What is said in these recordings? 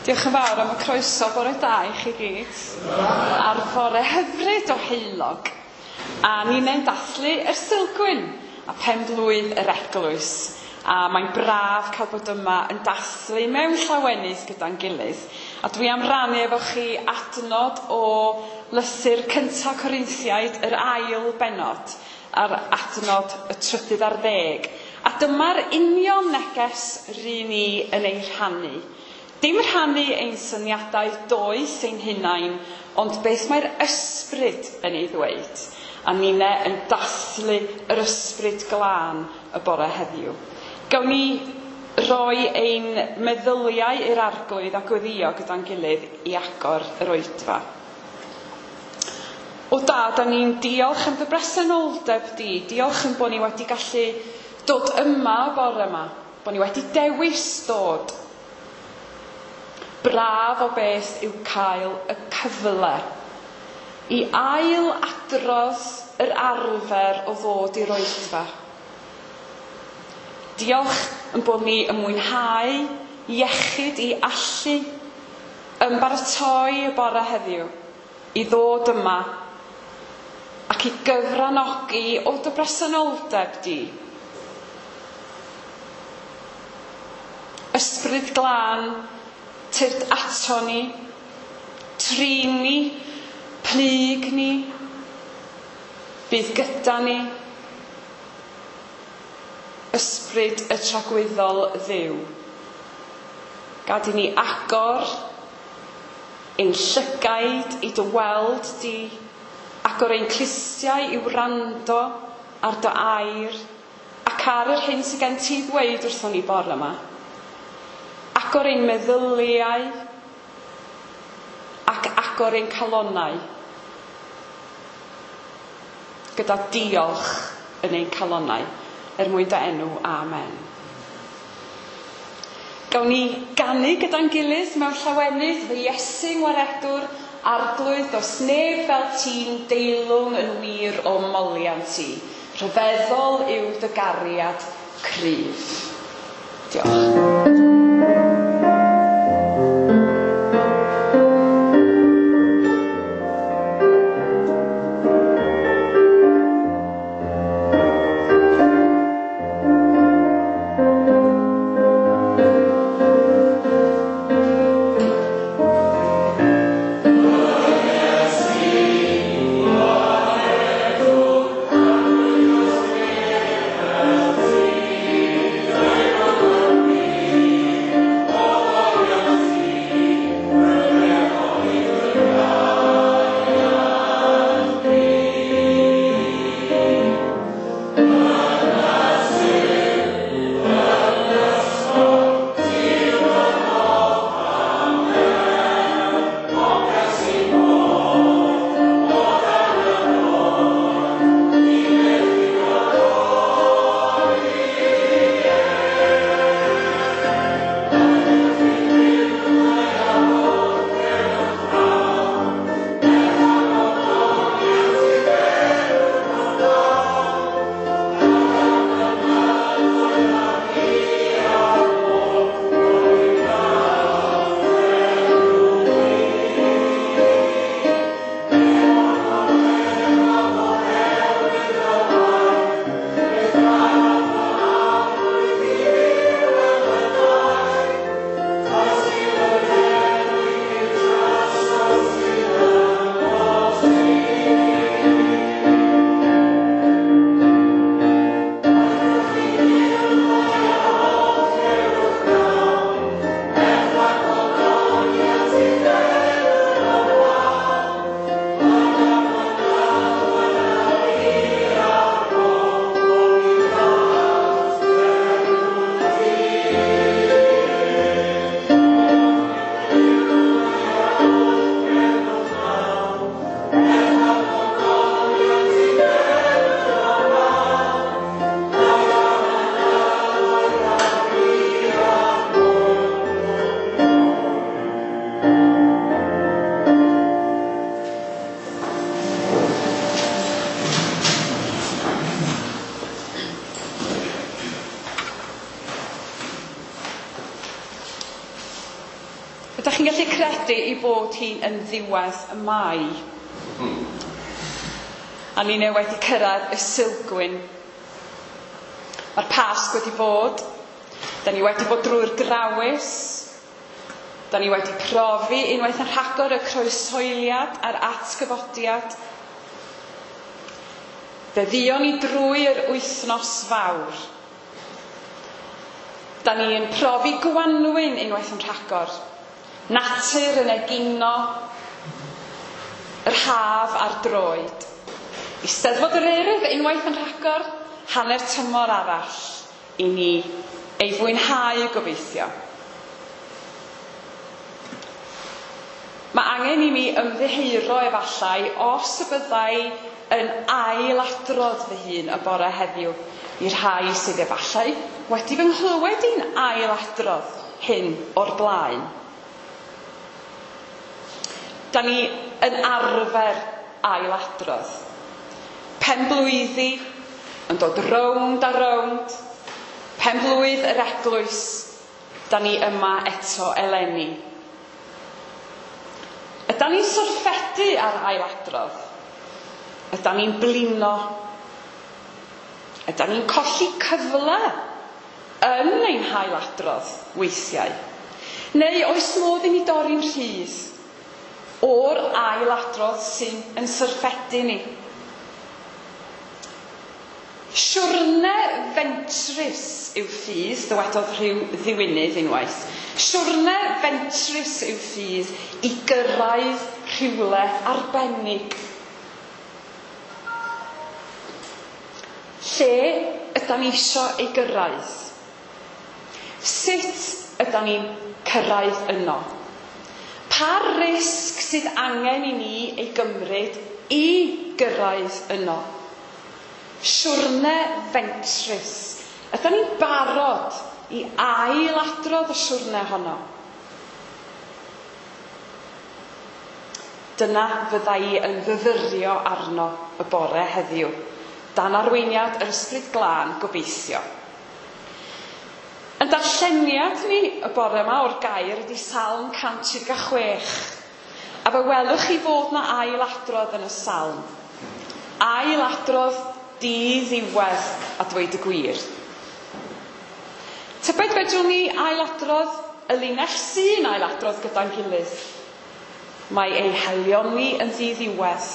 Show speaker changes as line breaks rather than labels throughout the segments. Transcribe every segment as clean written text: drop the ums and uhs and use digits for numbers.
Diolch yn fawr am y croeso, bore da i chi gyd. Ar fore hyfryd o heulog. A ni'n dathlu yr Sulgwyn a pen-blwydd yr eglwys. A mae'n braf cael bod yma yn dathlu mewn llawenydd gyda'n gilydd. A dwi am rannu efo chi adnod o lythyr cynta Corinthiaid, yr ail bennod, a'r adnod y 13. A dyma'r union neges ry'n ni yn ei rhannu. Dim rhannu ein syniadau doeth ein hunain, ond beth mae'r ysbryd yn ei ddweud. A ninne yn dathlu yr ysbryd glân y bore heddiw. Gawn ni roi ein meddyliau i'r Arglwydd a gweddïo gyda'n gilydd i agor yr oedfa. O Dad, da ni'n diolch am dy bresenoldeb di. Diolch yn bod ni wedi gallu dod yma y bore yma. Bod ni wedi dewis dod. Braf o beth yw cael y cyfle i ail adrodd yr arfer o ddod i'r oedfa. Diolch yn bod ni yn mwynhau iechyd i allu ymbaratoi y bore heddiw i ddod yma ac i gyfranogi o dy bresenoldeb di. Ysbryd glân, tyrd ato ni, trin ni, plyg ni, bydd gyda ni. Ysbryd y tragwyddol Dduw. Gad i ni agor ein llygaid i dy weld di, agor ein clustiau i wrando ar dy air ac ar yr hyn sydd gen ti ddweud wrthon ni bore yma. Agor ein meddyliau ac agor ein calonnau gyda diolch yn ein calonnau er mwyn dy enw. Amen. Gawn ni ganu gyda'n gilydd mewn llawenydd, fy Iesu ngwaredwr, Arglwydd, does neb fel ti'n deilwng yn wir o moliant ti. Rhyfeddol yw dy gariad cryf. Diolch.
Thank you.
Ydych chi'n gallu credu ei bod hi'n yn ddiwedd y Mai? A ni'n wedi cyrraedd y Sulgwyn. Mae'r Pasg wedi bod. Da ni wedi bod drwy'r Grawys. Da ni wedi profi unwaith yn rhagor y croeshoeliad a'r atgyfodiad. Fe dduon ni drwy yr wythnos fawr. Da ni yn profi gwanwyn unwaith yn rhagor. Natur yn egino, yr haf ar droed. Eisteddfod yr Urdd unwaith yn rhagor, hanner tymor arall i ni ei fwynhau gobeithio. Mae angen i mi ymddiheuro efallai os y byddai yn ailadrodd fy hun y bore heddiw i'r rhai sydd efallai wedi fy nghlywed i'n ailadrodd hyn o'r blaen. Da ni yn arfer ailadrodd. Penblwyddi yn dod rownd a rownd. Penblwydd yr eglwys, da ni yma eto eleni. Ydan ni'n syrffedu ar ailadrodd? Ydan ni'n blino? Ydan ni'n colli cyfle yn ein hailadrodd weithiau? Neu oes modd i ni dorri'n rhydd o'r ailadrodd sy'n yn syrffedu ni? Siwrne fentrus yw ffydd, dywedodd rhyw ddiwinydd unwaith. Siwrne fentrus yw ffydd i gyrraedd rhywle arbennig. Lle ydan ni isio ei gyrraedd? Sut ydan ni'n cyrraedd yno? Pa risg sydd angen i ni ei gymryd i gyrraedd yno? Siwrne fentrus. Ydan ni'n barod i ailadrodd y siwrne honno? Dyna fydda i yn fyfyrio arno y bore heddiw, dan arweiniad yr Ysbryd Glân gobeithio. Yn darlleniad ni y bore yma o'r gair ydy Salm 136. A fe welwch chi fod na ailadrodd yn y salm. Ailadrodd di-ddiwedd a dweud y gwir. Tybed fedrwn ni ailadrodd y linell sy'n ailadrodd gyda'n gilydd. Mae ei haelioni yn ddiddiwedd.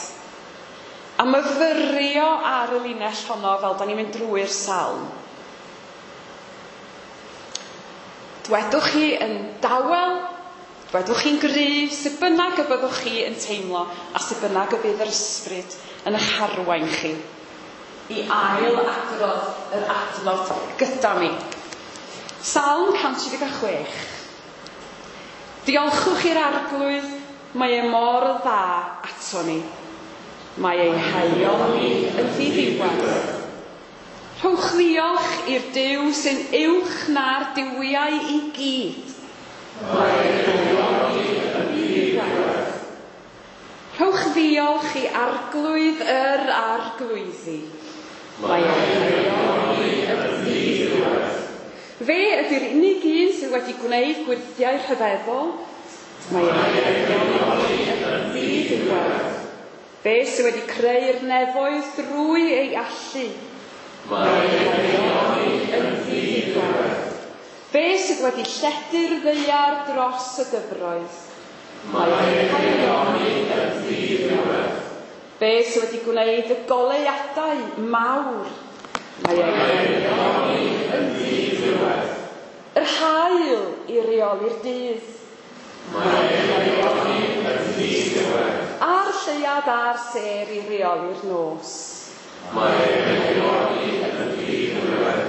A myfyrio ar y linell honno fel da ni'n mynd drwy'r salm. Dwedwch chi yn dawel, dwedwch chi'n gryf, sut bynnag y byddwch chi yn teimlo a sut bynnag y bydd yr ysbryd yn eich harwain chi i ail adrodd yr adnod gyda mi. Salm 136. Diolchwch i'r Arglwydd, mae e mor dda ato ni. Mae ei haelioni yn ddiddiwedd. Rhowch ddiolch i'r Duw sy'n uwch na'r duwiau i gyd. Mae ei haelioni yn ddiddiwedd. Rhowch ddiolch i Arglwydd yr Arglwyddi. Mae ei haelioni yn ddiddiwedd. Fe ydy'r unig un sydd wedi gwneud gwyrthiau rhyfeddol. Mae ei haelioni yn ddiddiwedd. Fe sydd wedi creu'r nefoedd drwy ei allu. Mae ei haelioni yn ddiddiwedd. Fe sydd wedi lledu'r ddaear dros y dyfroedd. Mae ei haelioni yn ddiddiwedd. Fe sydd wedi gwneud y goleuadau mawr. Mae ei haelioni yn ddiddiwedd. Yr haul i reoli'r dydd. Mae ei haelioni yn ddiddiwedd. A'r lleuad a'r sêr i reoli'r nos.
Mae ei haelioni yn ddiddiwedd.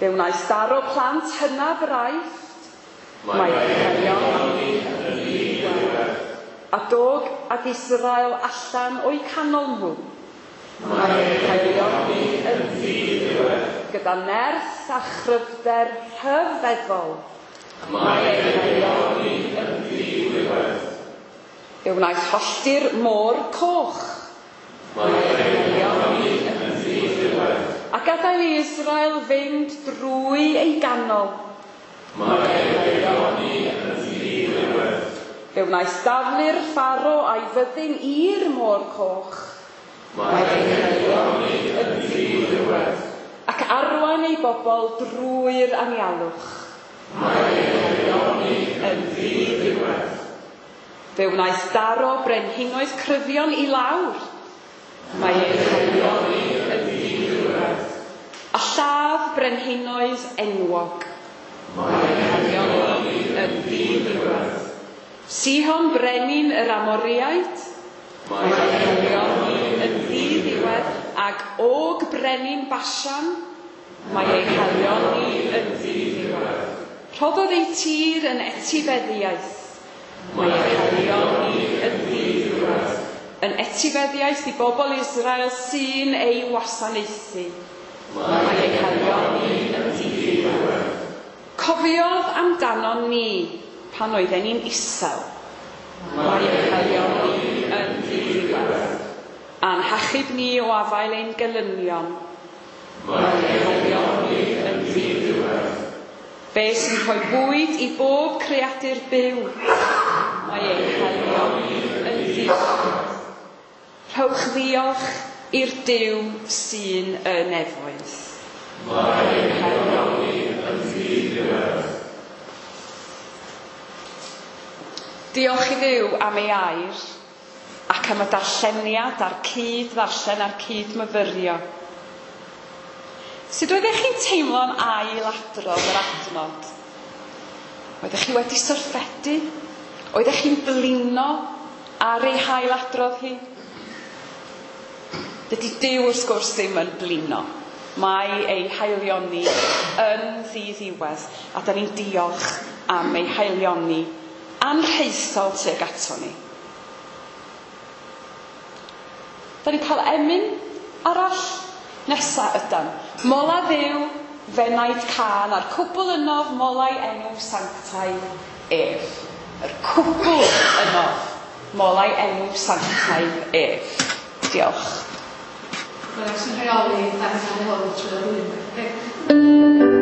Fe wnaeth daro plant hynaf yr Aifft.
Mae ei haelioni yn ddiddiwedd.
A dog ag Israel allan o'u canol nhw.
Mae ei haelioni yn ddiddiwedd.
Gyda nerth a chryfder rhyfeddol.
Mae ei haelioni yn ddiddiwedd.
Fe wnaeth hollti'r môr coch.
Mae ei haelioni yn ddiddiwedd.
A gadael i Israel fynd drwy ei ganol.
Mae ei haelioni yn ddiddiwedd.
Fe wnaeth daflu'r Pharo a'i fyddin i'r Môr Coch.
Mae ei haelioni yn ddiddiwedd.
Ac arwain ei bobl drwy'r anialwch.
Mae ei haelioni yn ddiddiwedd.
Fe wnaeth daro brenhinoedd cryfion i lawr. Mae ei
haelioni yn ddiddiwedd.
A lladd brenhinoedd enwog.
Mae ei haelioni yn ddiddiwedd.
Sihon brenin yr Amoriaid.
Mae ei
haelioni yn ddiddiwedd. Ag Og brenin Bashan. Mae ei haelioni yn ddiddiwedd. Rhoddodd ei tir yn etifeddiaeth.
Mae ei haelioni yn ddiddiwedd.
Yn etifeddiaeth i bobl Israel sy'n ei wasanaethu.
Mae ei haelioni yn ddiddiwedd.
Cofiodd amdanon ni pan oedden ni'n isel.
Mae ei
haelioni yn ddiddiwedd. A'n hachub ni o afael ein gelynion.
Mae ei haelioni yn ddiddiwedd.
Fe sy'n rhoi bwyd i bob creadur byw. Mae ei haelioni yn ddiddiwedd. Rhowch ddiolch i'r Duw sy'n y nefoedd.
Mae ei haelioni yn ddiddiwedd.
Diolch i Dduw am ei air ac am y darlleniad a'r cyd-ddarllen a'r cyd-myfyrio. Sut oeddech chi'n teimlo'n ail-adrodd yr adnod? Oeddech chi wedi syrffedu? Oeddech chi'n blino ar ei hail-adrodd hi? Dydy Duw wrth gwrs ddim yn blino. Mae ei haelioni yn ddiddiwedd, a da ni'n diolch am ei haelioni anrhaethol tuag ato ni. Da ni'n cael emyn arall nesa ydan. Mola Dduw, fenaid cân, a'r cwbl ynof molau enw sanctaidd ef. Yr cwbl ynof molau enw sanctaidd ef. Diolch.
Byddai'n sy'n rheoli darllen hwn trwy'r flwyddyn.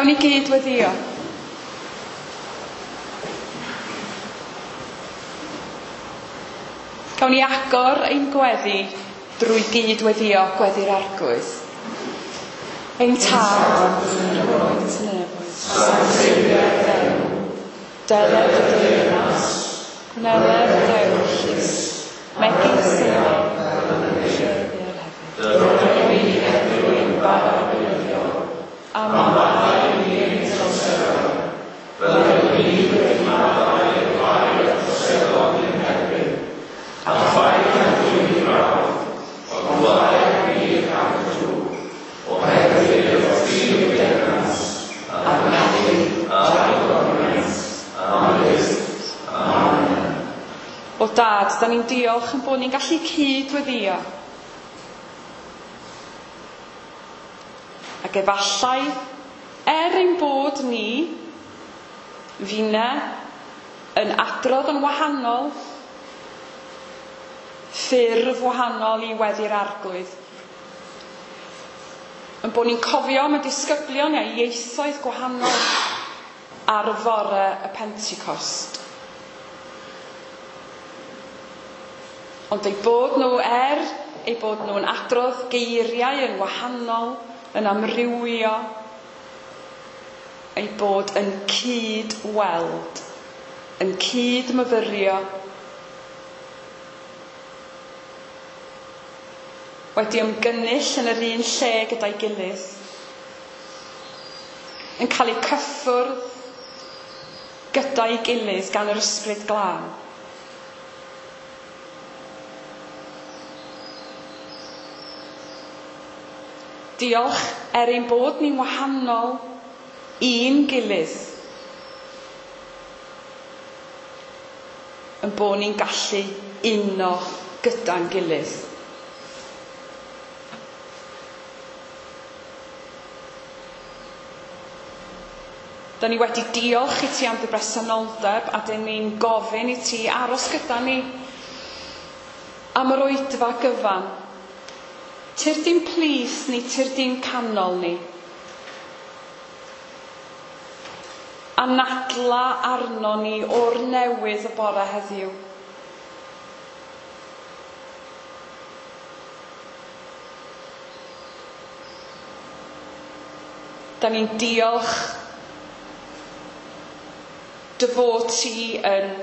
Gawn ni gyd weddio. Gawn ni agor ein gweddi drwy gyd weddio gweddi'r Arglwydd. Ein Tad, yr wyt yn nefoedd. Deled dy deyrnas, gwneler dy ewyllys, megis yn y nef fel yn y ddaear hefyd. Rho i ni heddiw ein bara beunyddiol, a maddau i ni ein troseddau, fel yr ydym ni wedi maddau i'r rhai a droseddodd i'n herbyn. A phaid â dwyn i brawf, ond gwaed ni rhag y drwg, oherwydd iddo ti yw'r deyrnas, a'r gallu, a'r gogoniant, am byth. Amen. O Dad, da ni'n diolch yn bod ni'n gallu cyd-weddïo. Ac efallai, er ein bod ni, finne, yn adrodd yn wahanol, ffurf wahanol i weddi'r Arglwydd, yn bod ni'n cofio am y disgyblion a ieithoedd gwahanol ar fore y Pentecost. Ond eu bod nhw, er eu bod nhw'n adrodd geiriau yn wahanol, yn amrywio, eu bod yn cyd-weld, yn cyd-myfyrio, wedi ymgynnull yn yr un lle gyda'i gilydd, yn cael eu cyffwrdd gyda'i gilydd gan yr Ysbryd Glân. Diolch er ein bod ni'n wahanol i'n gilydd, yn bod ni'n gallu uno gyda'n gilydd. Da ni wedi diolch i ti am dy bresenoldeb a dyn ni'n gofyn i ti aros gyda ni am yr oedfa gyfan. Tyrd i'n plith ni, tyrd i'n canol ni. Anadla arno ni o'r newydd y bore heddiw. Da ni'n diolch dy fod ti yn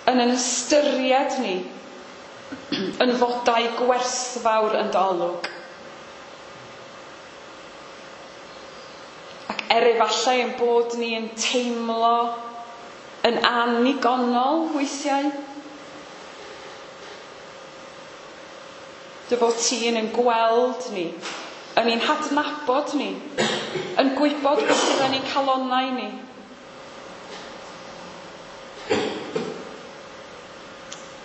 yn ystyried ni yn fodau gwerthfawr yn dy olwg. Ac er efallai ein bod ni yn teimlo yn annigonol weithiau, dy fod ti yn gweld ni, yn ein hadnabod ni, yn gwybod beth sydd yn ein calonnau ni.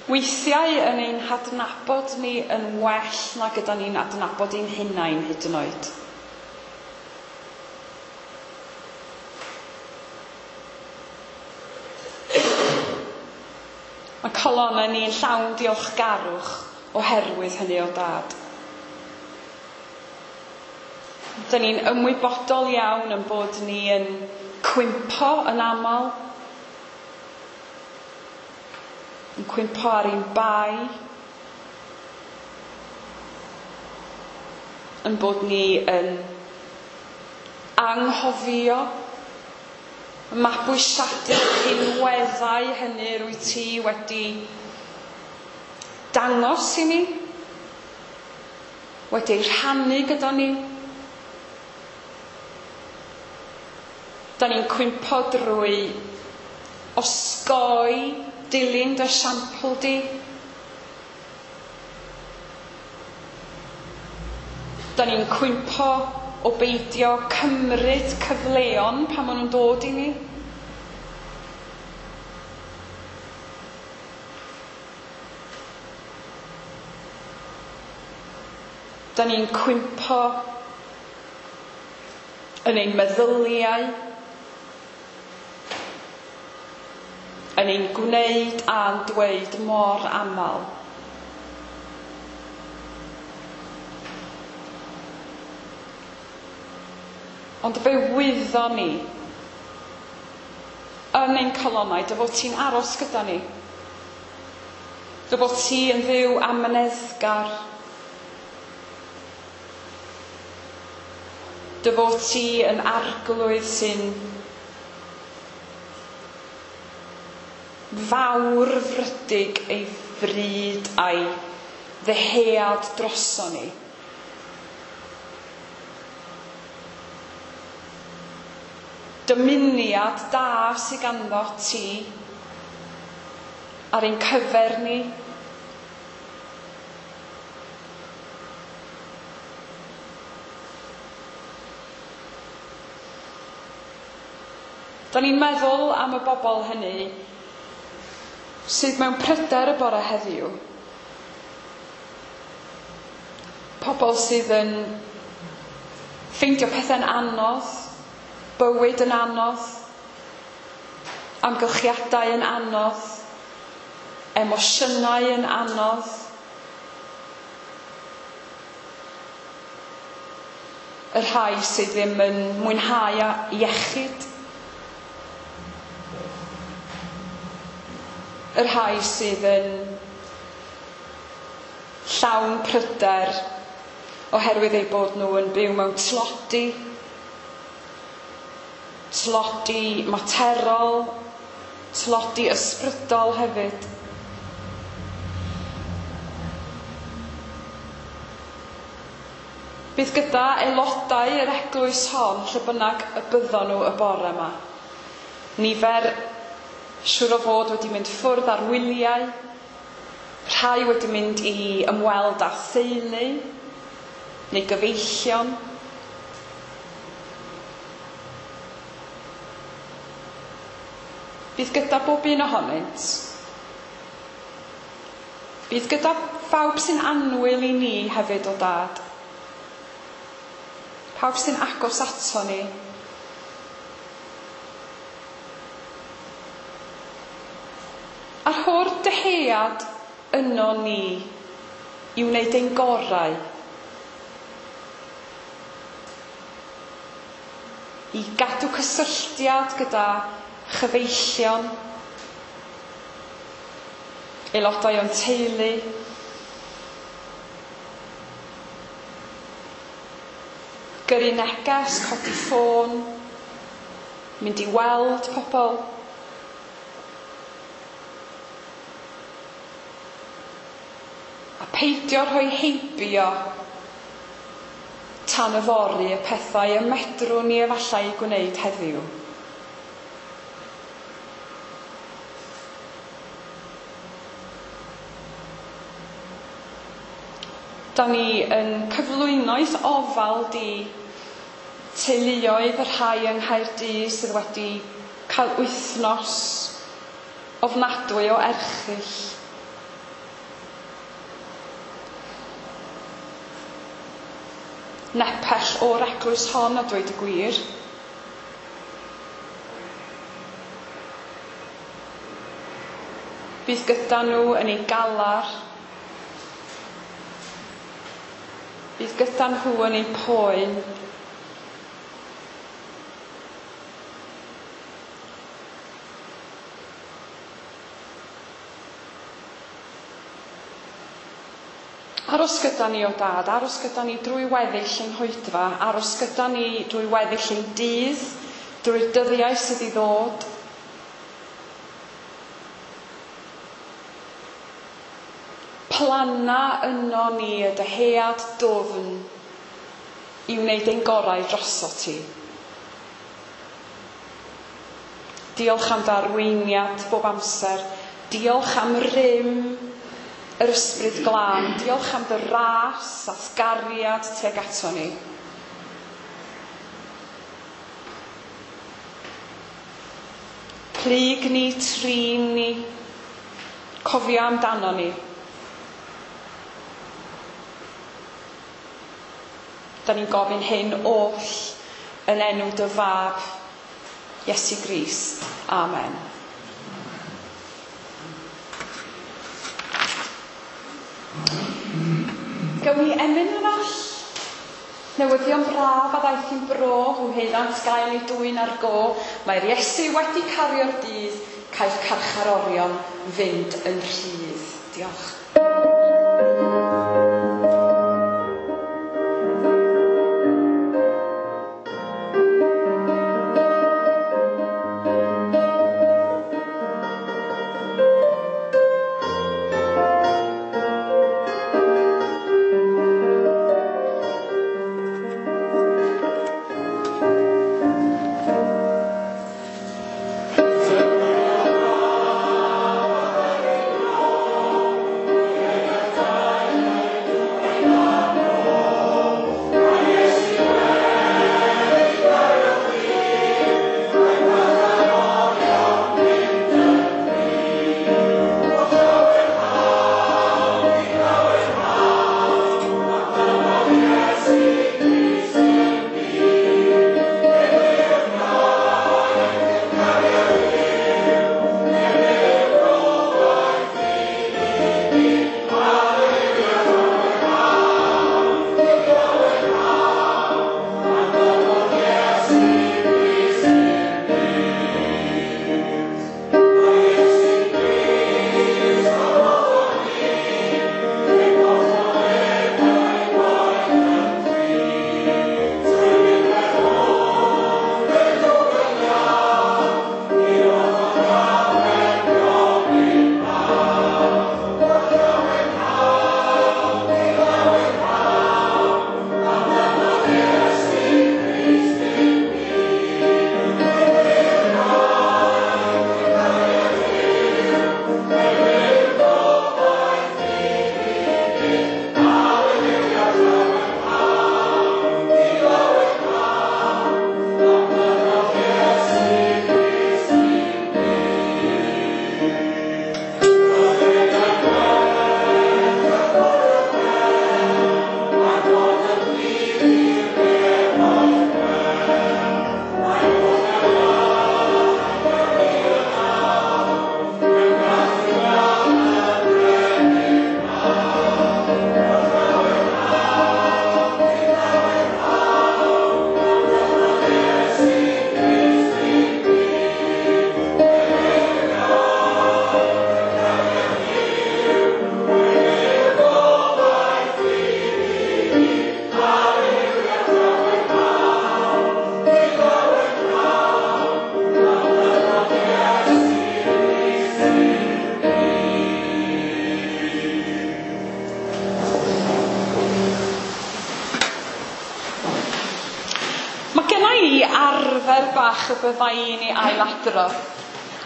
Weithiau yn ein hadnabod ni yn well na gyda ni'n adnabod ein hunain hyd yn oed. Mae calonnau ni'n llawn diolchgarwch oherwydd hynny o Dad. Dyn ni'n ymwybodol iawn yn bod ni yn cwympo yn aml, yn cwympo ar ein bai, yn bod ni yn anghofio, yn mabwysiadu'r rhinweddau hynny rwyt ti wedi dangos i ni, wedi eu rhannu gyda ni. Da ni'n cwympo drwy osgoi dilyn dy esiampl di. Da ni'n cwympo o beidio cymryd cyfleon pan maen nhw'n dod i ni. Da ni'n cwympo yn ein meddyliau, yn ein gwneud a'n dweud mor aml. Ond fe wyddon ni yn ein calonnau dy fod ti'n aros gyda ni. Dy fod ti yn Dduw amyneddgar. Dy fod ti yn Arglwydd sy'n Fawrfrydig ei fryd a'i ddyhead droson ni. Dymuniad da sydd ganddo ti ar ein cyfer ni. Da ni'n meddwl am y bobl hynny sydd mewn pryder y bore heddiw. Pobl sydd yn ffeindio pethau'n anodd, bywyd yn anodd, amgylchiadau yn anodd, emosiynau yn anodd. Y rhai sydd ddim yn mwynhau iechyd. Y rhai sydd yn llawn pryder oherwydd eu bod nhw yn byw mewn tlodi, tlodi materol, tlodi ysbrydol hefyd. Bydd gyda aelodau yr eglwys hon lle bynnag y byddon nhw y bore yma. Nifer siŵr o fod wedi mynd ffwrdd ar wyliau, rhai wedi mynd i ymweld â theulu neu gyfeillion. Bydd gyda bob un ohonynt. Bydd gyda phawb sy'n annwyl i ni hefyd o Dad. Pawb sy'n agos ato ni. A rho'r dyhead yno ni i wneud ein gorau. I gadw cysylltiad gyda chyfeillion, aelodau o'n teulu, gyrru neges, codi ffôn, mynd i weld pobl. A peidio rhoi heibio tan yfory y pethau y medrwn ni efallai eu gwneud heddiw. Da ni yn cyflwyno'th ofal di teuluoedd y rhai yng Nghaerdydd sydd wedi cael wythnos ofnadwy o erchyll. Nepell o'r eglwys hon, a dweud y gwir. Bydd gyda nhw yn eu galar. Bydd gyda nhw yn eu poen. Aros gyda ni o Dad, aros gyda ni drwy weddill ein hoedfa, aros gyda ni drwy weddill ein dydd, drwy'r dyddiau sydd i ddod. Planna yno ni y dyhead dwfn i wneud ein gorau droso ti. Diolch am dy arweiniad bob amser. Diolch am rym yr ysbryd glân. Diolch am dy ras a'th gariad tuag ato ni. Plyg ni, trin ni, cofio amdano ni. Da ni'n gofyn hyn oll yn enw dy fab, Iesu Grist. Amen. Gawn ni emyn arall? Newyddion braf a ddaeth i'n bro, hwnnant gael ei dwyn ar go. Mae'r Iesu wedi cario'r dydd, caiff carcharorion fynd yn rhydd. Diolch. arfer bach y bydda i'n ei ailadrodd.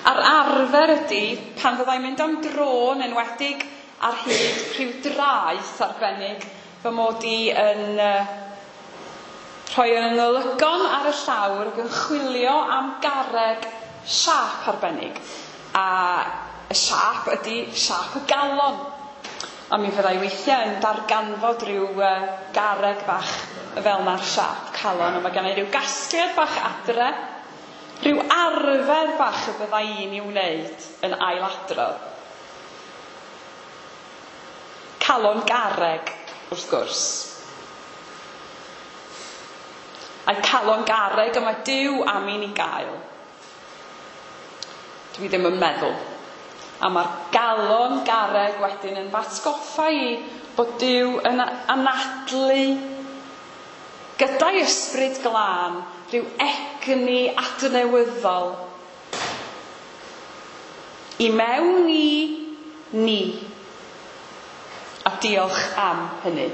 A'r arfer ydy pan fyddai'n mynd am dro, yn enwedig ar hyd rhyw draeth arbennig, fy mod i yn rhoi yn ngolygon ar y llawr ac yn chwilio am garreg siâp arbennig. A y siâp ydy siâp y galon. A mi fyddai weithiau yn darganfod rhyw garreg bach fel na'r siâp calon. A mae gen i ryw gasgliad bach adre, rhyw arfer bach y byddai i'n ei wneud yn ailadrodd. Calon garreg, wrth gwrs. A'i calon garreg y mae Duw am i ni gael. Dwi ddim yn meddwl. A mae'r galon garreg wedyn yn f'atgoffa i bod Duw yn anadlu gyda'i ysbryd glân rhyw egni adnewyddol i mewn i ni. A diolch am hynny.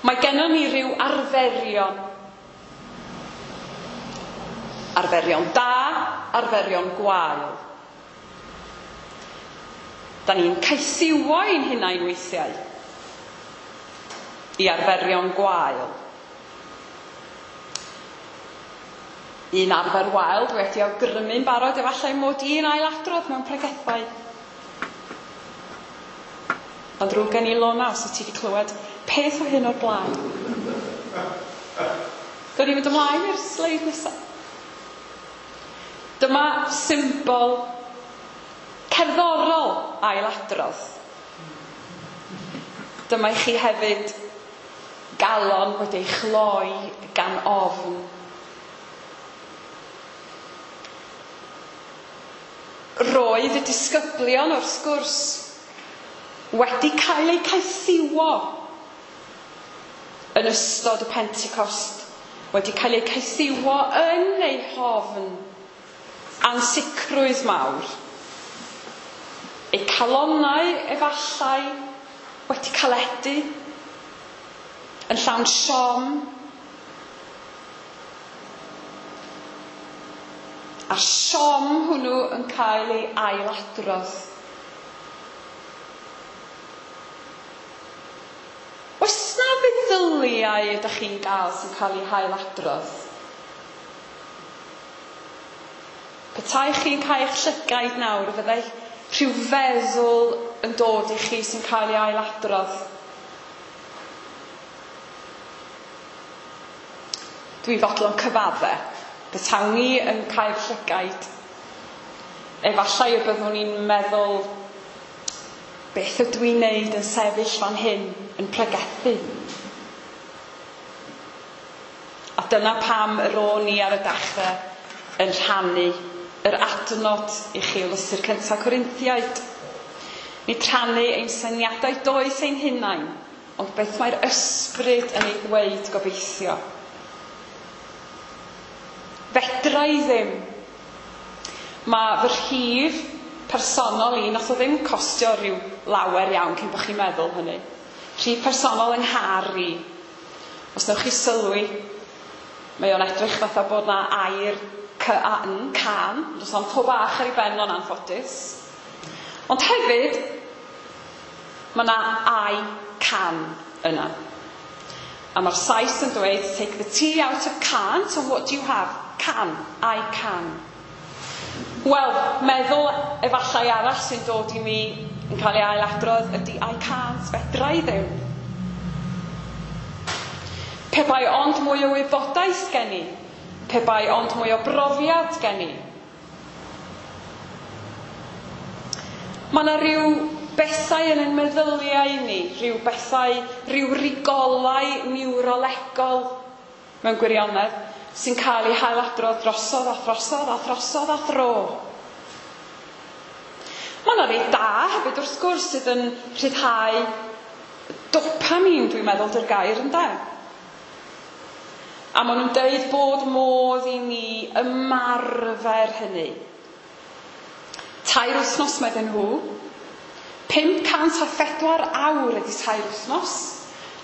Mae gennon ni ryw arferion. Arferion da, arferion gwael. Da ni'n caethiwo ein hunain weithiau i arferion gwael. Un arfer wael dwi wedi awgrymu'n barod efallai mod i'n ailadrodd mewn pregethau. Ond drwg gen i Lona os wyt ti wedi clywed peth o hyn o'r blaen. Gawn ni fynd ymlaen i'r sleid nesaf. Dyma symbol cerddorol ailadrodd. Dyma i chi hefyd galon wedi ei chloi gan ofn. Roedd y disgyblion wrth gwrs wedi cael eu caethiwo yn ystod y Pentecost, wedi cael eu caethiwo yn eu hofn, ansicrwydd mawr. Eu calonnau efallai wedi caledu, yn llawn siom, a'r siom hwnnw yn cael ei ailadrodd. Oes na feddyliau ydych chi'n gael sy'n cael eu hailadrodd? Petai chi'n cau eich llygaid nawr, fyddai rhyw feddwl yn dod i chi sy'n cael ei ailadrodd. Dwi'n fodlon cyfadde. Petawn i yn cau'r llygaid, efallai y byddwn i'n meddwl, beth ydw i'n neud yn sefyll fan hyn yn pregethu? A dyna pam yr o'n i ar y dechrau yn rhannu yr adnod i chi o lythyr cyntaf Corinthiaid. Nid rhannu ein syniadau doeth ein hunain, ond beth mae'r ysbryd yn ei ddweud gobeithio. Fedra i ddim. Mae fy rhif personol i, nath o ddim costio rhyw lawer iawn cyn bod chi'n meddwl hynny. Rhif personol yng nghar i. Os newch chi sylwi, mae o'n edrych fatha bod na air C-A-N, can, does na'm to bach ar ei ben o'n anffodus. Ond hefyd, mae na I can yna. A mae'r Sais yn dweud, take the T out of can't, and what do you have? Can, I can. Wel, meddwl efallai arall sy'n dod i mi yn cael ei ailadrodd ydy I can't, fedra i ddim. Pe bai ond mwy o wybodaeth gen i, pe bai ond mwy o brofiad gen i. Mae yna rhyw bethau yn ein meddyliau ni, rhyw bethau, rhyw rigolau niwrolegol mewn gwirionedd, sy'n cael eu hailadrodd drosodd a throsodd a throsodd a thro. Mae yna rei da hefyd wrth gwrs sydd yn rhyddhau dopamine, dwi'n meddwl, dy'r gair ynde. A maen nhw'n deud bod modd i ni ymarfer hynny. 3 wythnos medden nhw. 504 awr ydy 3 wythnos.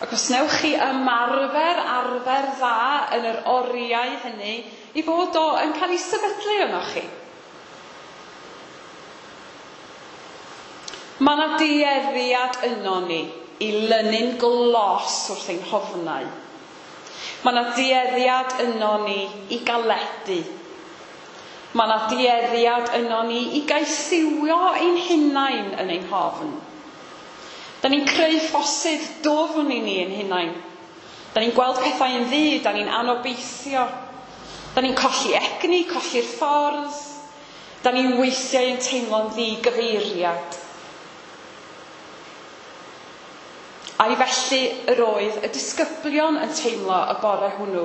Ac os newch chi ymarfer arfer dda yn yr oriau hynny, i fod o yn cael ei sefydlu ynoch chi. Mae yna dueddiad yno ni i lynu'n glos wrth ein hofnau. Mae yna dueddiad yno ni i galedu. Mae yna dueddiad yno ni i gaethiwio ein hunain yn ein hofn. Da ni'n creu ffosydd dwfn i ni ein hunain. Da ni'n gweld pethau yn ddu, da ni'n anobeithio. Da ni'n colli egni, colli'r ffordd. Da ni'n weithiau yn teimlo'n ddigyfeiriad. A'i felly yr oedd y disgyblion yn teimlo y bore hwnnw.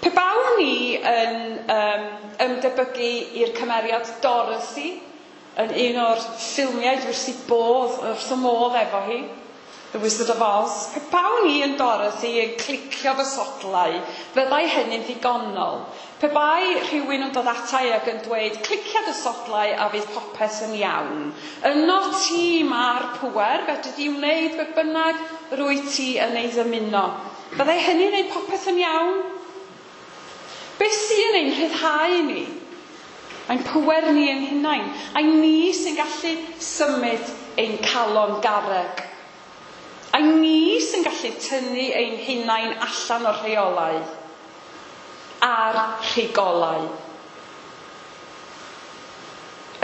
Pe bawn ni yn ymdebygu i'r cymeriad Dorothy, yn un o'r ffilmiau dwi wrth ei bodd, wrth y modd efo hi, The Wizard of Oz, pe bawn i yn Dorothy yn clicio fy sodlau, fyddai hynny'n ddigonol. Pe bai rhywun yn dod ata i ac yn dweud, clicia dy sodlau a fydd popeth yn iawn. Yno ti mae'r pŵer, fedri di wneud be bynnag rwyt ti yn ei ddymuno. Byddai hynny'n gwneud popeth yn iawn? Be sy'n ein rhyddhau ni? Ein pŵer ni ein hunain. Ai ni sy'n gallu symud ein calon garreg. Ai ni sy'n gallu tynnu ein hunain allan o'r rheolau a'r rhigolau.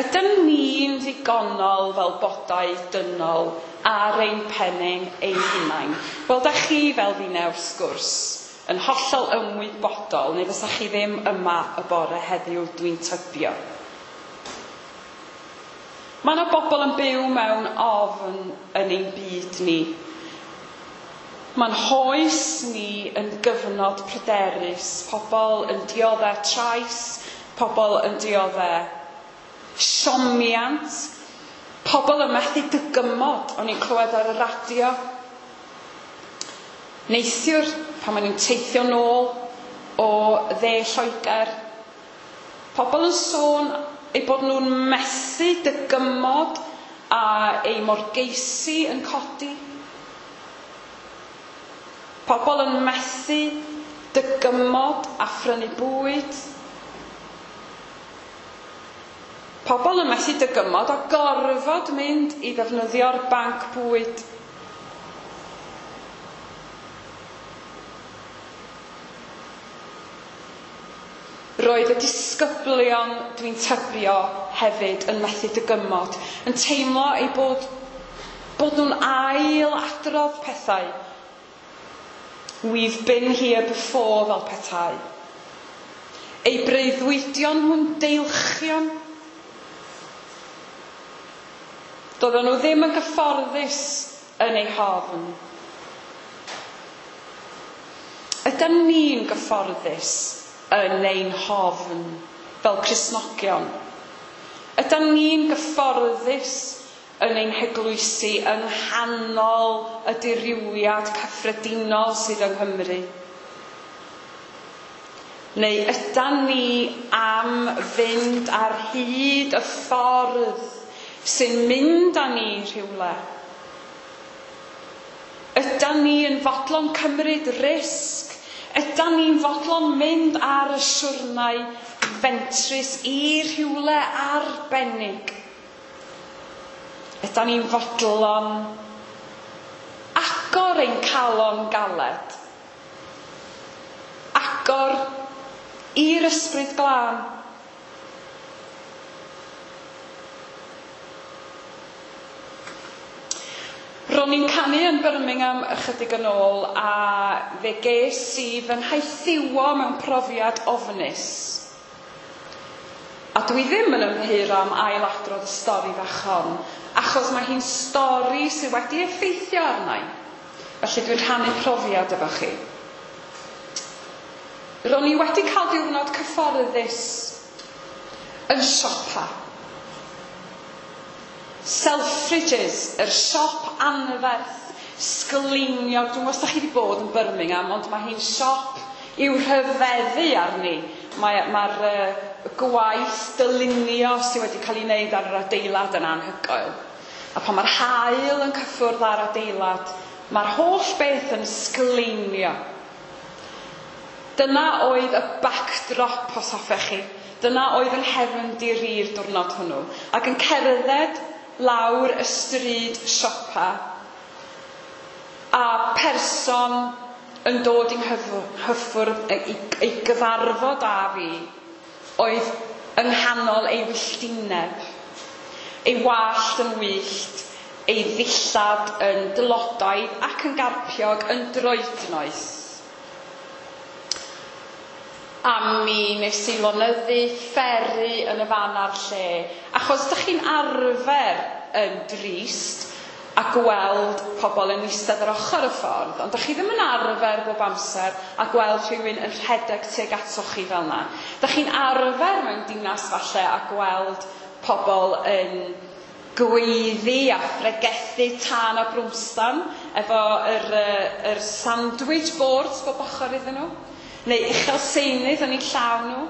Ydyn ni'n ddigonol fel bodau dynol ar ein pennau ein hunain? Wel, da chi fel finne wrth sgwrs yn hollol ymwybodol, neu fysa chi ddim yma y bore heddiw, dwi'n tybio. Mae yna bobl yn byw mewn ofn yn ein byd ni. Mae'n hoes ni yn gyfnod pryderus, pobl yn dioddef trais, pobl yn dioddef siomiant, pobl yn methu dygymod, o'n i'n clywed ar y radio. Neithiwr, pan maen nhw'n teithio nôl o dde Lloegr, pobl yn sôn eu bod nhw'n methu dygymod a eu morgeisi yn codi. Pobl yn methu dygymod a phrynu bwyd. Pobl yn methu dygymod a gorfod mynd i ddefnyddio'r banc bwyd. Roedd y disgyblion, dwi'n tybio, hefyd yn methu dygymod, yn teimlo eu bod nhw'n ail-adrodd pethau. We've been here before fel petai. Eu breuddwydion nhw'n deilchion. Doedden nhw ddim yn gyfforddus yn eu hofn. Ydyn ni'n gyfforddus yn ein hofn fel Cristnogion? Ydyn ni'n gyfforddus yn ein heglwysi yng nghanol y dirywiad cyffredinol sydd yng Nghymru? Neu ydyn ni am fynd ar hyd y ffordd sy'n mynd â ni rhywle? Ydyn ni yn fodlon cymryd risg? Ydyn ni'n fodlon mynd ar y siwrnai fentrus i rhywle arbennig? Ydyn ni'n fodlon agor ein calon galed? Agor i'r Ysbryd Glân? Ro'n i'n canu yn Birmingham ychydig yn ôl a fe ges i fy nhaethiwo mewn profiad ofnus. A dwi ddim yn ymddiheuro am ailadrodd y stori fach hon, achos mae hi'n stori sydd wedi effeithio arna i. Felly dwi'n rhannu profiad efo chi. Ro'n i wedi cael diwrnod cyfforddus yn siopa. Selfridges, yr siop anferth, sgleiniog. Dwi'n gwybod os da chi wedi bod yn Birmingham, ond mae hi'n siop i'w rhyfeddu arni. Mae'r gwaith dylunio sydd wedi cael ei wneud ar yr adeilad yn anhygoel. A pan mae'r haul yn cyffwrdd ar adeilad, mae'r holl beth yn sgleinio. Dyna oedd y backdrop, os hoffech chi. Dyna oedd yng nghefndir i'r diwrnod hwnnw. Ac yn cerdded lawr y stryd siopa, a person yn dod i'n hyffwrdd ei gyfarfod â fi, oedd yng nghanol ei wylltineb, ei wallt yn wyllt, ei ddillad yn dlodaidd ac yn garpiog yn droednoeth. A mi nes i lonyddu fferu yn y fan a'r lle, achos dych chi'n arfer yn drist a gweld pobl yn eistedd ar ochr y ffordd, ond dych chi ddim yn arfer bob amser a gweld rhywun yn rhedeg tuag atoch chi fel yna. Dych chi'n arfer mewn dinas falle a gweld pobl yn gweiddi a phregethu tân a brwmstan efo yr sandwich boards bob ochr iddyn nhw, neu uchel seinydd yn eu llaw nhw.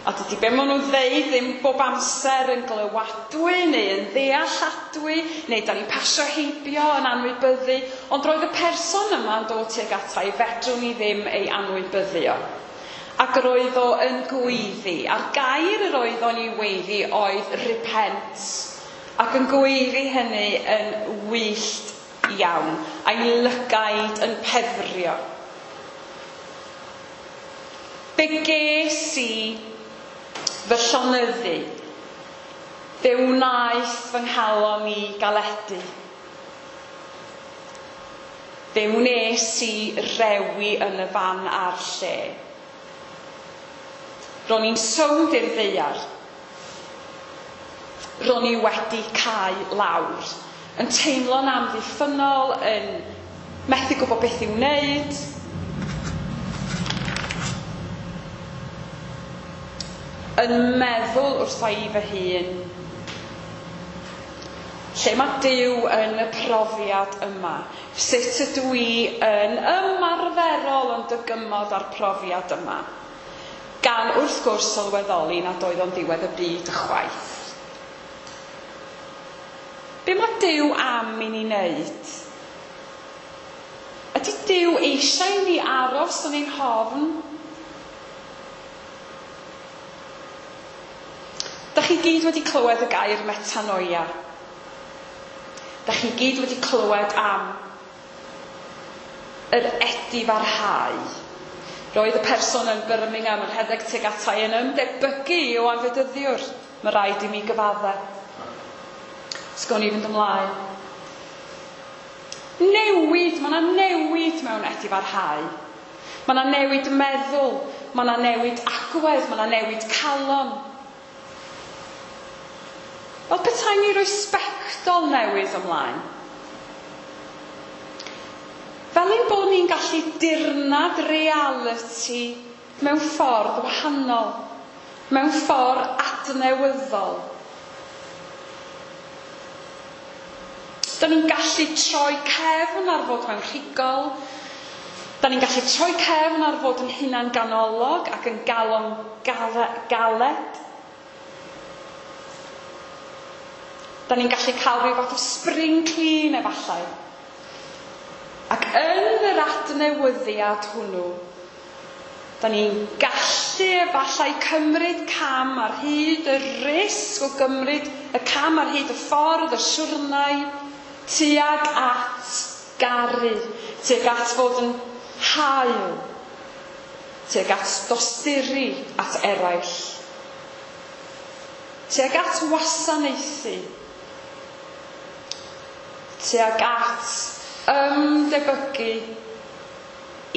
A dydy be maen nhw'n ddeud ddim bob amser yn glywadwy neu yn ddealladwy, neu da ni'n pasio heibio yn anwybyddu, ond roedd y person yma'n dod tuag ata i, fedrwn ni ddim ei anwybyddu o. Ac roedd o yn gweiddi, a'r gair yr oedd o'n ei weiddi oedd repent, ac yn gweiddi hynny yn wyllt iawn, a'i lygaid yn pefrio. Be ges i fy llonyddu, fe wnaeth fy nghalon i galedu. Fe wnes i rewi yn y fan a'r lle. Ro'n i'n sownd i'r ddaear. Ro'n i wedi cau lawr, yn teimlo'n amddiffynnol, yn methu gwybod beth i'w wneud. Yn meddwl wrtha i fy hun, lle mae Duw yn y profiad yma? Sut ydw i yn ymarferol yn dygymod â'r profiad yma? Gan wrth gwrs sylweddoli nad oedd o'n ddiwedd y byd ychwaith. Be mae Duw am i ni wneud? Ydy Duw eisiau i ni aros yn ein hofn? Dach chi gyd wedi clywed y gair metanoia. Dach chi gyd wedi clywed am yr edifarhau. Roedd y person yn Birmingham yn rhedeg tuag ata i yn ymdebygu i Ioan Fedyddiwr. Mae rhaid i mi gyfadde. Sgwn i fynd ymlaen. Newid, mae yna newid mewn edifarhau. Mae yna newid meddwl, mae yna newid agwedd, mae yna newid calon. Fel petai ni roi sbectol newydd ymlaen. Fel ein bod ni'n gallu dirnad realiti mewn ffordd wahanol, mewn ffordd adnewyddol. Da ni'n gallu troi cefn ar fod mewn rhigol, da ni'n gallu troi cefn ar fod yn hunan ganolog ac yn galon galed. Da ni'n gallu cael rhyw fath o spring clean efallai. Ac yn yr adnewyddiad hwnnw, da ni'n gallu efallai cymryd cam ar hyd y risg o gymryd y cam ar hyd y ffordd, y siwrnai, tuag at garu, tuag at fod yn hael, tuag at dosturi at eraill, tuag at wasanaethu, tuag at ymdebygu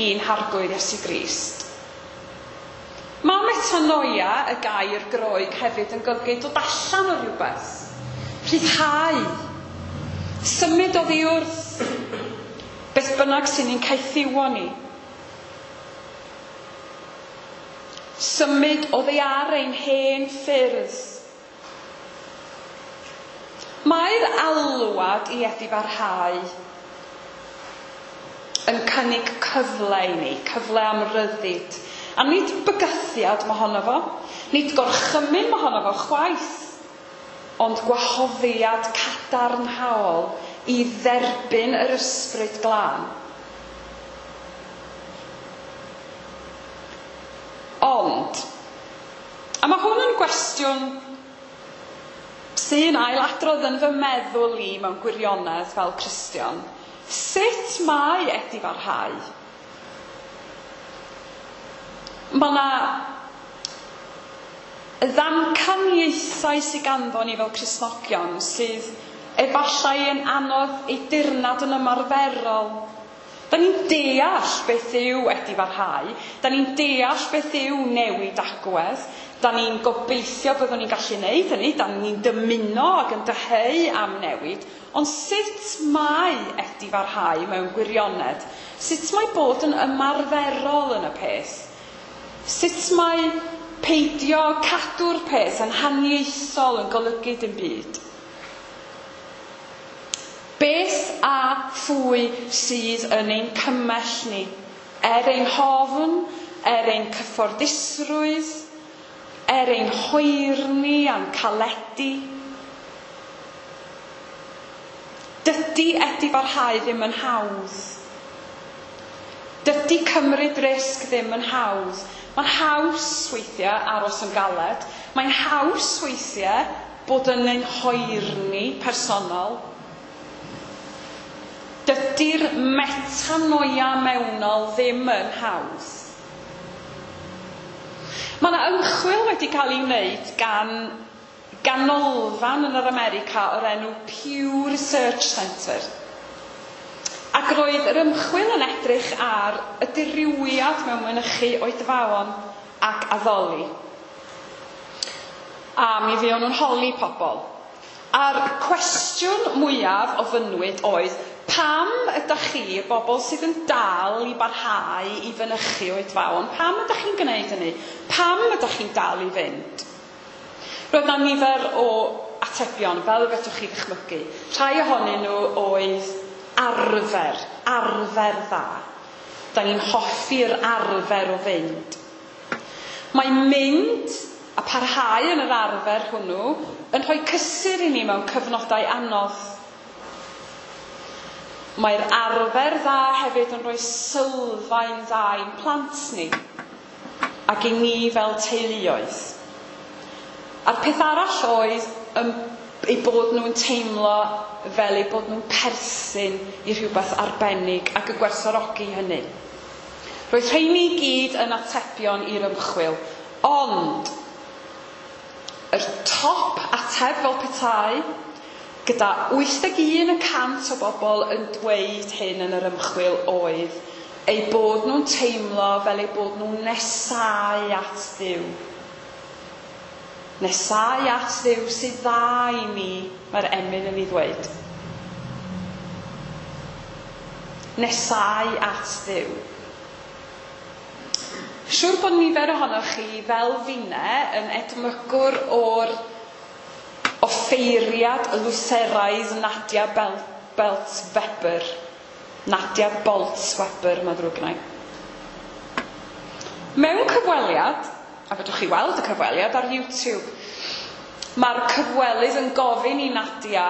i'n harglwydd Iesu Grist. Mae metanoia, y gair Groeg, hefyd yn golygu dod allan o rhywbeth, rhyddhau, symud oddi wrth beth bynnag sy'n ni'n caethiwo ni. Symud oddi ar ein hen ffyrdd. Mae'r alwad i edifarhau yn cynnig cyfle i ni, cyfle am ryddid, A nid bygythiad mohono fo, nid gorchymyn mohono fo chwaith, ond gwahoddiad cadarnhaol i dderbyn yr Ysbryd Glân. Ond, a mae hwn yn gwestiwn sy'n ailadrodd yn fy meddwl i mewn gwirionedd fel Cristion, sut mae edifarhau? Mae yna ddamcaniaethau sydd ganddo ni fel Cristnogion sydd efallai yn anodd eu dirnad yn ymarferol. Da ni'n deall beth yw edifarhau, da ni'n deall beth yw newid agwedd, da ni'n gobeithio byddwn ni'n gallu neud hynny, da ni'n dymuno ac yn dyheu am newid, ond sut mae edifarhau mewn gwirionedd? Sut mae bod yn ymarferol yn y peth? Sut mae peidio cadw'r peth yn haniaethol yn golygu dim byd? Beth a phwy sydd yn ein cymell ni? Er ein hofn, er ein cyfforddusrwydd, er ein hoerni a'n caledu. Dydy edifarhau ddim yn hawdd. Dydy cymryd risg ddim yn hawdd. Mae'n haws weithiau aros yn galed. Mae'n haws weithiau bod yn ein hoerni personol. Dydy'r metanoia mewnol ddim yn hawdd. Mae yna ymchwil wedi cael ei wneud gan ganolfan yn yr America o'r enw Pew Research Center. Ac roedd yr ymchwil yn edrych ar y dirywiad mewn mynychu oedfaon ac addoli. A mi fuon nhw'n holi pobl. A'r cwestiwn mwyaf ofynnwyd oedd, pam ydych chi, y bobl sydd yn dal i barhau i fynychu oedfaon, pam ydych chi'n gwneud hynny? Pam ydych chi'n dal i fynd? Roedd 'na nifer o atebion, fel y fedrwch chi ddychmygu. Rhai ohonyn nhw oedd arfer, arfer dda. Da ni'n hoffi'r arfer o fynd. Mae mynd a parhau yn yr arfer hwnnw yn rhoi cysur i ni mewn cyfnodau anodd. Mae'r arfer dda hefyd yn rhoi sylfaen dda i'n plant ni ac i ni fel teuluoedd. A'r peth arall oedd eu bod nhw'n teimlo fel eu bod nhw'n perthyn i rhywbeth arbennig ac y gwerthfawrogi hynny. Roedd rheini i gyd yn atebion i'r ymchwil, ond yr top ateb fel petai, gyda 81% o bobl yn dweud hyn yn yr ymchwil oedd eu bod nhw'n teimlo fel eu bod nhw'n nesáu at Dduw. Nesáu at Dduw sydd dda i ni, mae'r emyn yn ei ddweud. Nesáu at Dduw. Siŵr bod nifer ohonoch chi fel finne yn edmygwr o'r offeiriad Lutheraidd Nadia Bolz-Weber. Nadia Bolz-Weber, mae'n ddrwg gennai. Mewn cyfweliad, a fedrwch chi weld y cyfweliad ar YouTube, mae'r cyfwelydd yn gofyn i Nadia,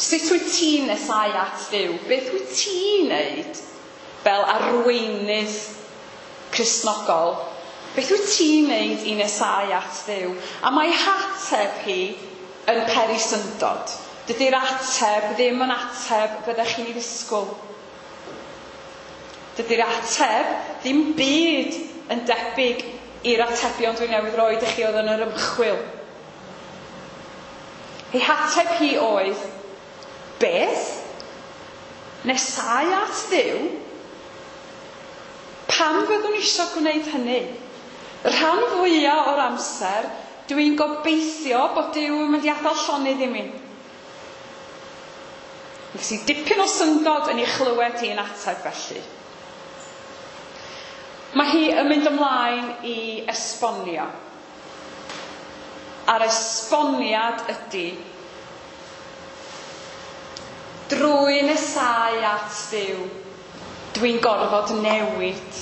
sut wyt ti'n nesáu at Dduw? Beth wyt ti'n neud fel arweinydd Cristnogol? Beth wyt ti'n neud i nesáu at Dduw? A mae hateb hi yn peri syndod. Dydy'r ateb ddim yn ateb fyddech chi'n ei ddisgwyl. Dydy'r ateb ddim byd yn debyg i'r atebion dwi newydd roid i chi oedd yn yr ymchwil. Ei hateb hi oedd, beth? Nesáu at Dduw? Pam fyddwn eisiau gwneud hynny? Y rhan fwyaf o'r amser, dwi'n gobeithio bod Duw yn mynd i adael llonydd i mi. Nes i dipyn o syndod yn ei chlywed hi yn ateb felly. Mae hi yn mynd ymlaen i esbonio. A'r esboniad ydy, drwy nesáu at Dduw, Dwi'n gorfod newid.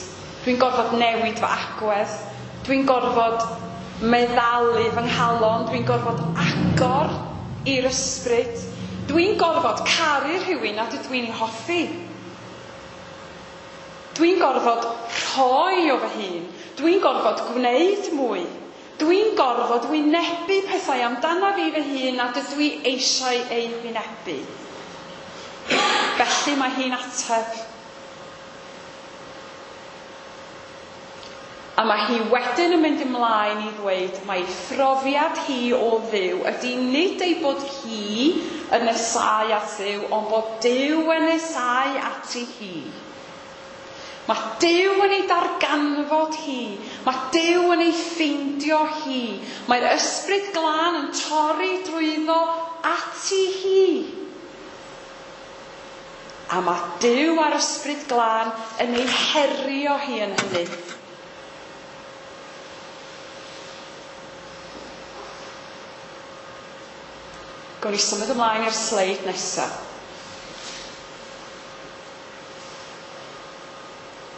Dwi'n gorfod newid fy agwedd. Dwi'n gorfod meddalu fy nghalon. Dwi'n gorfod agor i'r ysbryd. Dwi'n gorfod caru rhywun nad ydw i'n ei hoffi. Dwi'n gorfod rhoi o fy hun. Dwi'n gorfod gwneud mwy. Dwi'n gorfod wynebu pethau amdana fi fy hun nad ydw i eisiau eu hwynebu. Felly mae hi'n ateb. A mae hi wedyn yn mynd ymlaen i ddweud mai phrofiad hi o Dduw ydy nid ei bod hi yn nesáu at Dduw, ond bod Duw yn nesáu ati hi. Mae Duw yn ei darganfod hi. Mae Duw yn ei ffeindio hi. Mae'r ysbryd glân yn torri drwyddo ati hi. A mae Duw a'r ysbryd glân yn ei herio hi yn hynny. Gawn ni symud ymlaen i'r sleid nesaf.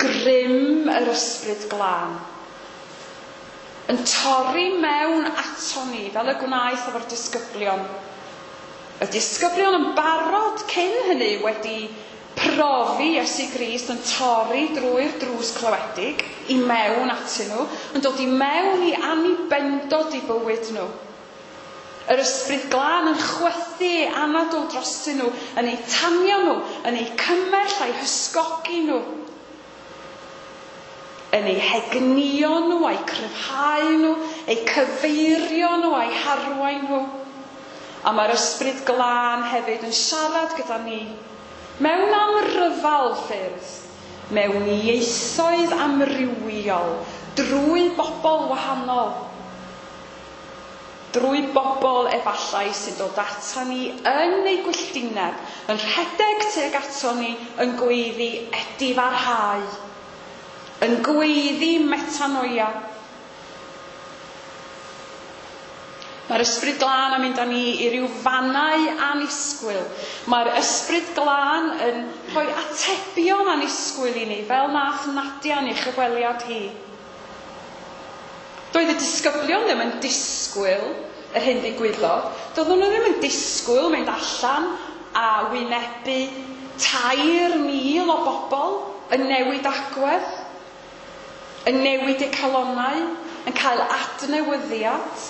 Grym yr ysbryd glân yn torri mewn ato ni fel y gwnaeth efo'r disgyblion. Y disgyblion yn barod cyn hynny wedi profi Iesu Grist yn torri drwy'r drws clywedig i mewn atyn nhw, yn dod i mewn i annibendod i bywyd nhw. Yr ysbryd glân yn chwythu ei anadl drostyn nhw, yn eu tanio nhw, yn eu cymell a'u hysgogi nhw, yn eu hegnïo nhw, a'u cryfhau nhw, eu cyfeirio nhw, a'u harwain nhw. A mae'r ysbryd glân hefyd yn siarad gyda ni mewn amryfal ffyrdd, mewn ieithoedd amrywiol, drwy bobl wahanol, drwy bobl efallai sy'n dod ata ni yn eu gwylltineb, yn rhedeg tuag ato ni, yn gweiddi edifarhau, yn gweiddi metanoia. Mae'r ysbryd glân yn mynd â ni i ryw fannau annisgwyl. Mae'r ysbryd glân yn rhoi atebion annisgwyl i ni, fel nath Nadia yn ei chyfweliad hi. Doedd y disgyblion ddim yn disgwyl yr hyn ddigwyddodd. Doedden nhw ddim yn disgwyl mynd allan a wynebu 3,000 o bobl yn newid agwedd, yn newid eu calonnau, yn cael adnewyddiad.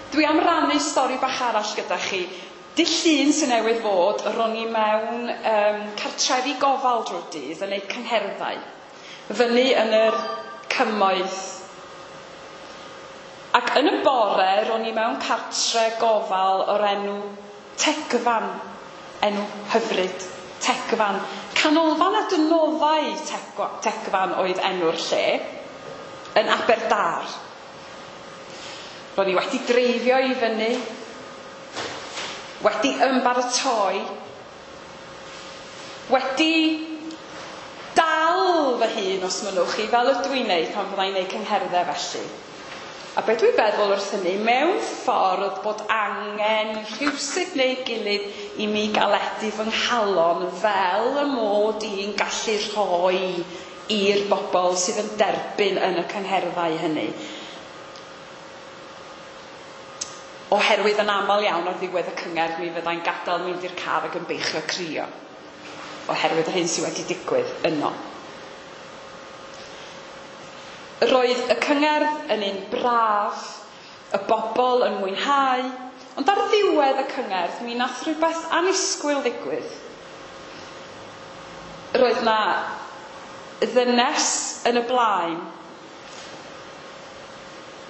Dwi am rannu stori bach arall gyda chi. Dydd Llun sy'n newydd fod, ro'n i mewn cartrefi gofal drwy'r dydd yn eu cyngherddau, fyny yn yr cymoedd. Ac yn y bore, ro'n i mewn cartre gofal o'r enw Tegfan, enw hyfryd, Tegfan. Canolfan adnoddau Tegfan oedd enw'r lle, yn Aberdâr. Ro'n i wedi dreifio i fyny, wedi ymbaratoi, wedi dal fy hun, os mynnwch chi, fel ydw i'n neud pan fyddai'n neud cyngherddau felly. A be dwi'n feddwl wrth hynny, mewn ffordd bod angen rhywsut neu gilydd i mi galedu fy nghalon fel y mod i'n gallu rhoi i'r bobl sydd yn derbyn yn y cyngherddau hynny. Oherwydd yn aml iawn ar ddiwedd y cyngerdd mi fyddai'n gadael mynd i'r car ac yn beichio crio, oherwydd yr hyn sydd wedi digwydd yno. Roedd y cyngerdd yn un braf, y bobl yn mwynhau, ond ar ddiwedd y cyngerdd mi nath rhywbeth annisgwyl ddigwydd. Roedd na ddynes yn y blaen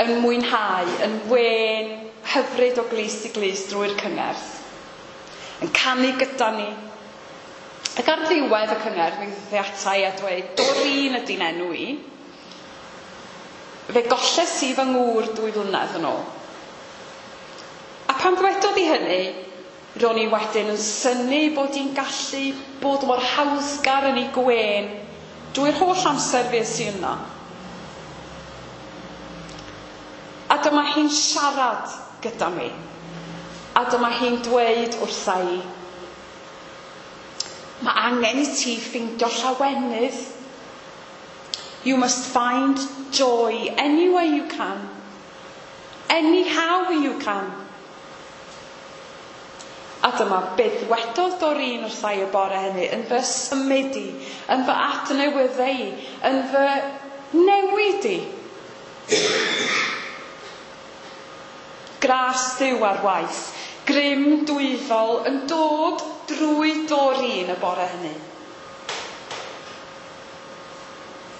yn mwynhau, yn wên, hyfryd o glust i glust drwy'r cyngerdd, yn canu gyda ni. Ac ar ddiwedd y cyngerdd, mi ddaeth ata i a dweud, Doreen ydy'n enw i. Fe golles i fy ngŵr 2 flynedd yn ôl. A pan ddwedodd i hynny, ro'n i wedyn yn synnu bod hi'n gallu bod mor hawddgar yn ei gwên drwy'r holl amser fues i yno. A dyma hi'n siarad gyda mi. A dyma hi'n dweud wrtha i, Mae angen i ti ffeindio llawenydd. You must find joy any way you can. Anyhow you can. A dyma beth wedodd Doreen wrtha i y bore hynny, yn fy symud i, yn fy adnewyddu i, yn fy newid i. Gras Duw ar waith, grym dwyfol yn dod drwy Doreen y bore hynny.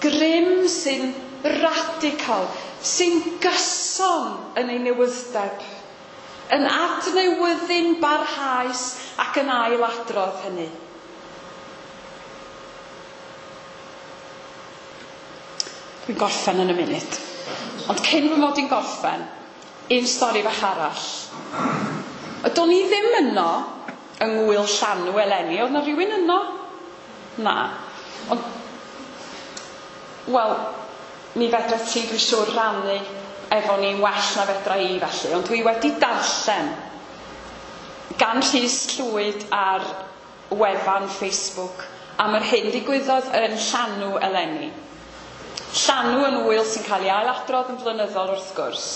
Grym sy'n radical, sy'n gyson yn ei newyddeb, yn adnewyddu'n barhaus ac yn ailadrodd hynny. Dwi'n gorffen yn y munud. Ond cyn fy mod i'n gorffen, un stori fach arall. Do'n i ddim yno yng Ngŵyl Llanw eleni. Oedd 'na rhywun yno? Na. Ond, wel, mi fedra ti, dwi'n siŵr, rannu efo ni'n well na fedra i felly, ond dwi wedi darllen gan Rhys Llwyd ar wefan Facebook am yr hyn ddigwyddodd yn Llanw eleni. Llanw yn ŵyl sy'n cael ei ailadrodd yn flynyddol wrth gwrs.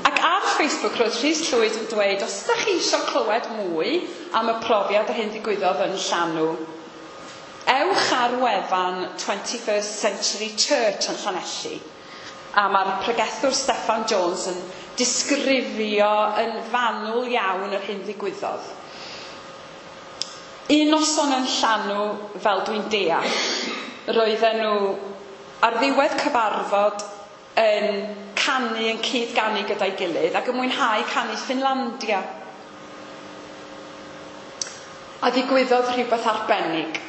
Ac ar Facebook roedd Rhys Llwyd yn dweud, os ydych chi eisiau clywed mwy am y profiad yr hyn ddigwyddodd yn Llanw, ewch ar wefan 21st Century Church yn Llanelli. A mae'r pregethwr Steffan Jones yn disgrifio yn fanwl iawn yr hyn ddigwyddodd. Un noson yn Llanw, fel dwi'n deall, roedden nhw ar ddiwedd cyfarfod yn canu, yn cyd-ganu gyda'i gilydd ac yn mwynhau canu Ffinlandia. A ddigwyddodd rhywbeth arbennig.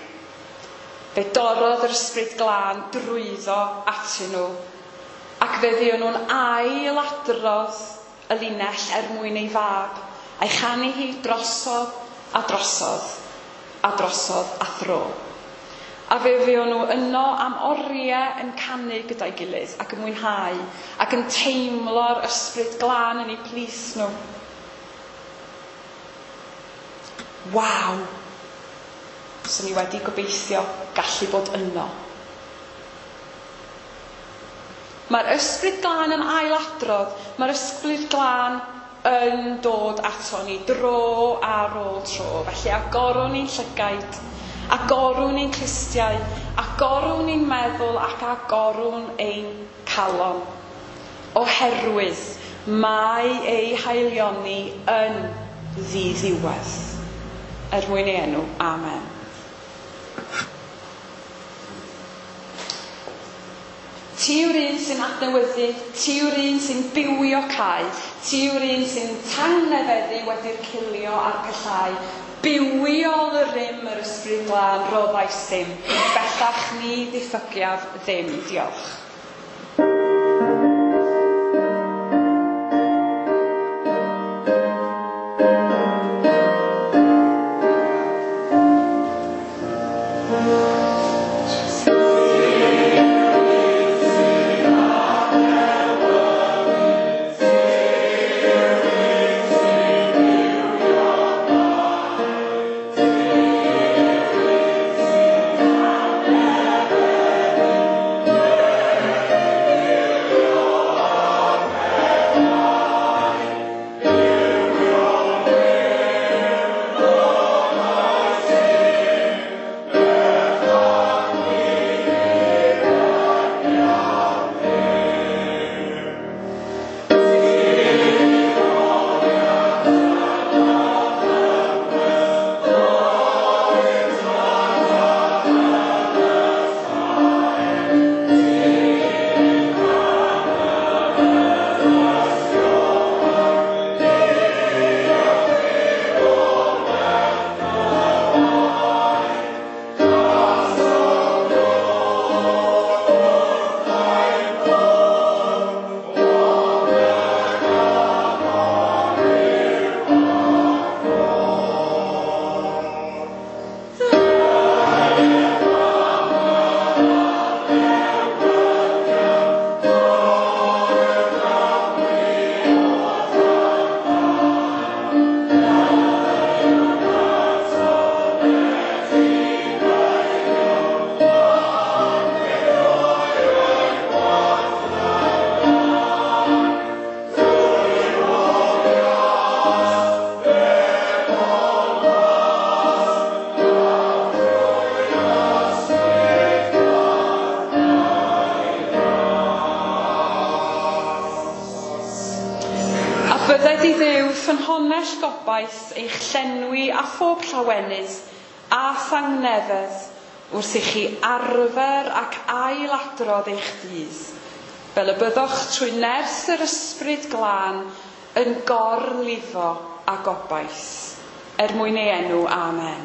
Fe dorrodd yr ysbryd glân drwyddo atyn nhw ac fe fuon nhw'n ailadrodd y linell er mwyn ei fab, a'i chanu hi drosodd a drosodd a drosodd a thro. A fe fuon nhw yno am oriau yn canu gyda'i gilydd ac yn mwynhau ac yn teimlo'r ysbryd glân yn eu plith nhw. Waw! Swn i wedi gobeithio gallu bod yno. Mae'r ysbryd glân yn ailadrodd, mae'r ysbryd glân yn dod ato ni dro ar ôl tro. Felly agorwn ni'n llygaid, agorwn ni'n clustiau, agorwn ni'n meddwl ac agorwn ein calon. Oherwydd mae ei haelioni yn ddiddiwedd. Er mwyn ei enw, amen. Ti yw'r un sy'n adnewyddu, ti yw'r un sy'n bywio cae, ti yw'r un sy'n tangnefeddu wedi'r cilio a'r pellhau. Bywiol y rym yr ysbryd glân roddais ddim, bellach ni ddiffygiaf ddim. Diolch. Bydded i Dduw ffynhonnell gobaith eich llenwi a phob llawenydd a thangnefedd wrth i chi arfer ac ailadrodd eich ffydd, fel y byddwch trwy nerth yr Ysbryd Glân yn gorlifo a gobaith. Er mwyn ei enw, amen.